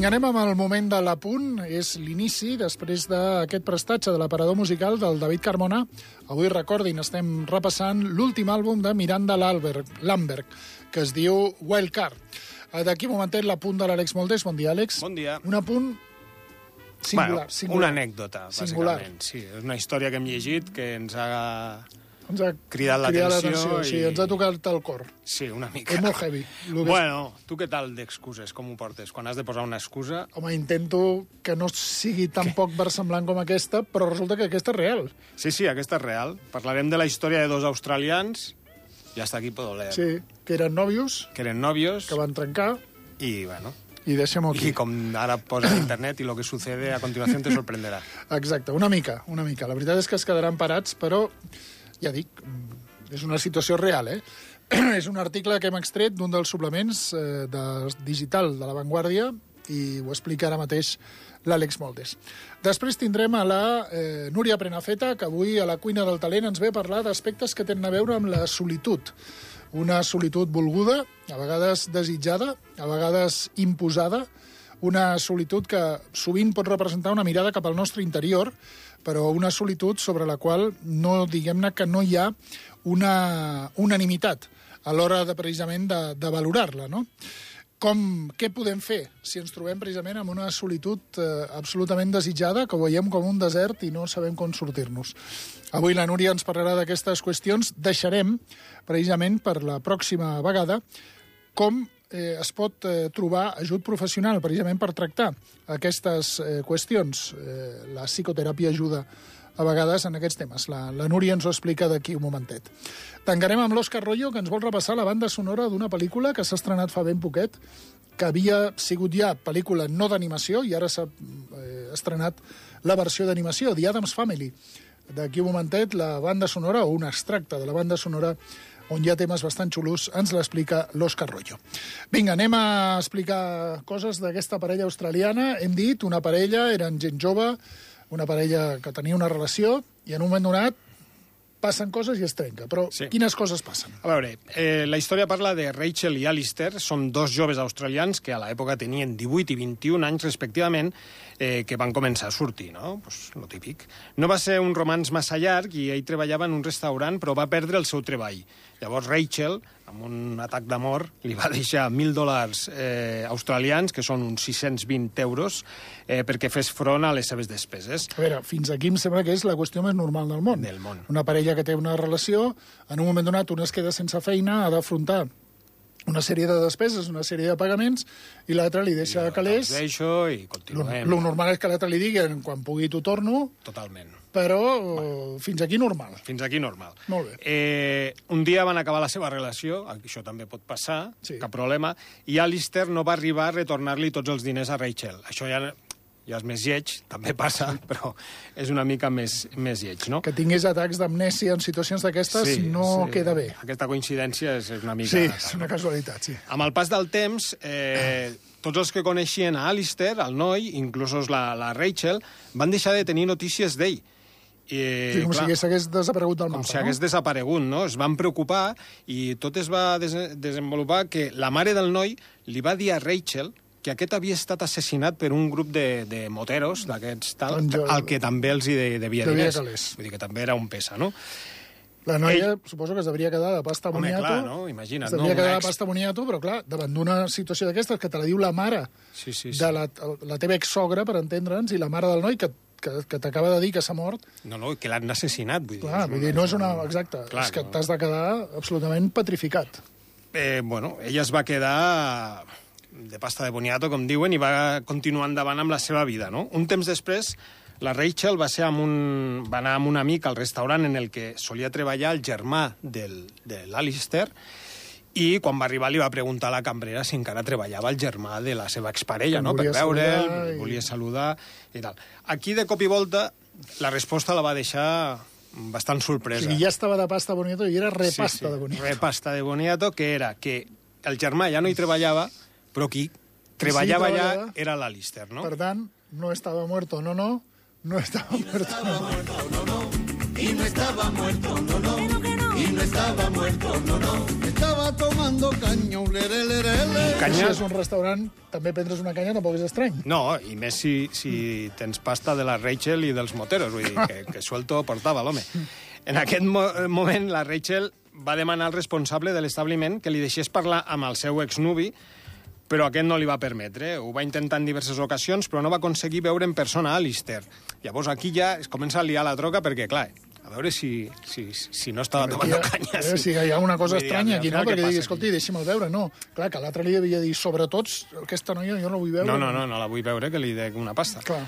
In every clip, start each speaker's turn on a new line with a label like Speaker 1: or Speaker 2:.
Speaker 1: Vinga, anem amb el moment de l'Apunt. És l'inici, després d'aquest prestatge de l'aparador musical del David Carmona. Avui, recordin, estem repassant l'últim àlbum de Miranda Lambert, que es diu Wildcard. D'aquí un momentet l'Apunt de l'Àlex Moldés. Bon dia, Àlex.
Speaker 2: Bon dia.
Speaker 1: Un apunt singular.
Speaker 2: Una anècdota, bàsicament. Sí, és una història que hem llegit que ens ha cridat l'atenció.
Speaker 1: Sí, ens ha tocat el cor.
Speaker 2: Sí, una mica.
Speaker 1: És molt heavy.
Speaker 2: Bueno, tu què tal d'excuses? Com ho portes? Quan has de posar una excusa...
Speaker 1: Home, intento que no sigui tan poc versemblant com aquesta, però resulta que aquesta és real.
Speaker 2: Sí, aquesta és real. Parlarem de la història de dos australians, i hasta aquí puedo leer.
Speaker 1: Sí, que eren nòvios.
Speaker 2: Que van
Speaker 1: trencar.
Speaker 2: I, bueno...
Speaker 1: I deixem-ho aquí.
Speaker 2: I com ara posa a internet i lo que sucede a continuació te sorprenderà.
Speaker 1: Exacte, una mica. La veritat és que es quedaran parats, però, ja dic, és una situació real, És un article que hem extret d'un dels suplements digital de La Vanguardia i ho explica ara mateix l'Àlex Moldés. Després tindrem a la Núria Prenafeta, que avui a la Cuina del Talent ens ve a parlar d'aspectes que tenen a veure amb la solitud. Una solitud volguda, a vegades desitjada, a vegades imposada, una solitud que sovint pot representar una mirada cap al nostre interior, però una solitud sobre la qual no, diguem-ne, que no hi ha una unanimitat a l'hora de, precisament, de valorar-la, no? Què podem fer si ens trobem precisament amb una solitud absolutament desitjada, que veiem com un desert i no sabem com sortir-nos? Avui la Núria ens parlarà d'aquestes qüestions. Deixarem, precisament per la pròxima vegada, com es pot trobar ajut professional, precisament per tractar aquestes qüestions. La psicoteràpia ajuda a vegades en aquests temes. La Núria ens ho explica d'aquí un momentet. Tancarem amb l'Òscar Royo, que ens vol repassar la banda sonora d'una pel·lícula que s'ha estrenat fa ben poquet, que havia sigut ja pel·lícula no d'animació i ara s'ha estrenat la versió d'animació, The Addams Family. D'aquí un momentet, la banda sonora, o un extracte de la banda sonora, on hi ha temes bastant xulos, ens l'explica l'Òscar Royo. Vinga, anem a explicar coses d'aquesta parella australiana. Hem dit, una parella, eren gent jove, una parella que tenia una relació, i en un moment donat passen coses i es trenca. Però sí. Quines coses passen?
Speaker 2: A veure, la història parla de Rachel i Alistair. Són dos joves australians que a l'època tenien 18 i 21 anys respectivament, que van començar a sortir, no? Pues lo típic. No va ser un romanç massa llarg i ell treballava en un restaurant, però va perdre el seu treball. Llavors Rachel, amb un atac d'amor, li va deixar $1.000 australians, que són uns 620 euros, perquè fes front a les seves despeses.
Speaker 1: A veure, fins aquí em sembla que és la qüestió més normal del món.
Speaker 2: Del món.
Speaker 1: Una parella que té una relació, en un moment donat una es queda sense feina, ha d'afrontar una sèrie de despeses, una sèrie de pagaments, i l'altre li deixa calés.
Speaker 2: Deixo i continuem.
Speaker 1: Lo normal és que l'altre li digui quan pugui t'ho torno.
Speaker 2: Totalment.
Speaker 1: Però fins aquí normal.
Speaker 2: Fins aquí normal.
Speaker 1: Molt bé.
Speaker 2: Un dia van acabar la seva relació, això també pot passar, sí. Cap problema, i Alistair no va arribar a retornar-li tots els diners a Rachel. Això ja és més lleig, també passa, però és una mica més lleig, no?
Speaker 1: Que tingués atacs d'amnèsia en situacions d'aquestes no queda bé.
Speaker 2: Aquesta coincidència és una mica...
Speaker 1: Sí, és una casualitat, sí.
Speaker 2: Amb el pas del temps, tots els que coneixien a Alistair, el noi, inclús la Rachel, van deixar de tenir notícies d'ell.
Speaker 1: Si hagués desaparegut del mapa.
Speaker 2: Com si hagués desaparegut, no? Es van preocupar i tot es va desenvolupar que la mare del noi li va dir a Rachel que aquest havia estat assassinat per un grup de moteros, d'aquests tal, al que també els hi devia diners. Vull dir que també era un pesa, no?
Speaker 1: La noia, suposo que es devia quedar de pasta boniato.
Speaker 2: Home, clar, no? Imagina't.
Speaker 1: Es devia quedar de pasta boniato, però clar, davant d'una situació d'aquestes que te la diu la mare de la teva exsogra, per entendre'ns, i la mare del noi que t'acaba de dir que s'ha mort...
Speaker 2: No, que l'han assassinat, vull dir.
Speaker 1: Clar, no és una... Exacte, és que t'has de quedar absolutament petrificat.
Speaker 2: Bueno, ella es va quedar de pasta de boniato, com diuen, i va continuar endavant amb la seva vida, no? Un temps després, la Rachel va anar amb un amic al restaurant en el que solia treballar el germà de l'Alistair, i quan va arribar li va preguntar a la cambrera si encara treballava el germà de la seva exparella, no? Per veure'l, volia saludar i tal. Aquí, de cop i volta, la resposta la va deixar bastant sorpresa.
Speaker 1: O sigui, ja estava de pasta boniato i era repasta de boniato.
Speaker 2: Repasta de boniato, que era que el germà ja no hi treballava, però qui treballava allà era l'Alistair, no?
Speaker 1: Per tant, no estava muerto, no estava muerto,
Speaker 3: y no estaba muerto, y no estaba muerto, estaba tomando caña, ulere, lere, lere.
Speaker 1: Si és un restaurant, també prendre's una canya tampoc és estrany.
Speaker 2: No, i més si tens pasta de la Rachel i dels moteros, vull dir, que suelto portava l'home. En aquest moment, la Rachel va demanar al responsable de l'establiment que li deixés parlar amb el seu exnuvi, però aquest no li va permetre. Ho va intentar en diverses ocasions, però no va aconseguir veure en persona a Alistair. Llavors aquí ja es comença a liar la troca perquè, clar, a veure si no estava tomant canya.
Speaker 1: A veure si hi ha una cosa estranya aquí, no? Perquè digui, escolti,
Speaker 2: aquí?
Speaker 1: deixi'm el veure. No, clar, que l'altre li havia dit, sobretot, aquesta noia jo no vull veure.
Speaker 2: No la vull veure, que li dec una pasta.
Speaker 1: Clar.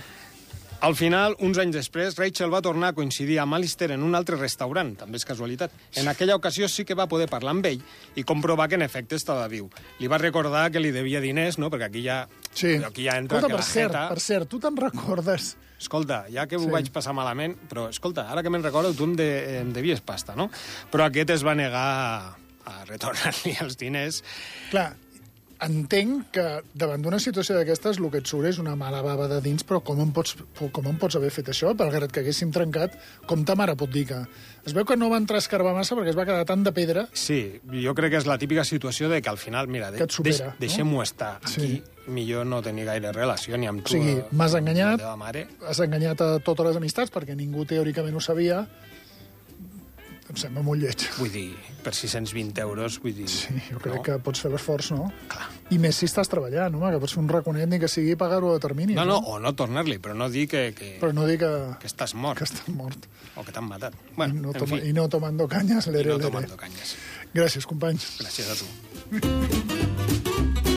Speaker 2: Al final, uns anys després, Rachel va tornar a coincidir amb Alistair en un altre restaurant, també és casualitat. En aquella ocasió sí que va poder parlar amb ell i comprovar que en efecte estava viu. Li va recordar que li devia diners, no? Perquè aquí ja entra
Speaker 1: escolta,
Speaker 2: que la jeta...
Speaker 1: Per cert, tu te'n recordes?
Speaker 2: Escolta, ja que ho vaig passar malament, però escolta, ara que me'n recordo, tu em devies pasta, no? Però aquest es va negar a retornar-li els diners.
Speaker 1: Clar, entenc que davant d'una situació d'aquestes el que et surt és una mala bava de dins, però com em pots haver fet això? Malgrat que haguéssim trencat, com ta mare pot dir que... Es veu que no va entrar a escarbar massa perquè es va quedar tant de pedra...
Speaker 2: Sí, jo crec que és la típica situació de que al final, mira, deixem-ho estar. Aquí millor no tenir gaire relació ni amb tu.
Speaker 1: O sigui, m'has enganyat,
Speaker 2: la teva mare.
Speaker 1: Has enganyat a totes les amistats perquè ningú teòricament ho sabia. Em sembla molt lleig.
Speaker 2: Vull dir, per 620 euros, vull dir...
Speaker 1: Sí, jo crec que pots fer l'esforç, no?
Speaker 2: Clar.
Speaker 1: I més si estàs treballant, home, que pots fer un raconet ni que sigui pagar-ho a termini.
Speaker 2: No, o no tornar-li, però no dir que...
Speaker 1: Però no dir que
Speaker 2: estàs mort.
Speaker 1: Que estàs mort.
Speaker 2: O que t'han matat. Bueno,
Speaker 1: I no tomando cañas, lere,
Speaker 2: lere. I no tomando cañas.
Speaker 1: Gràcies, companys.
Speaker 2: Gràcies a tu.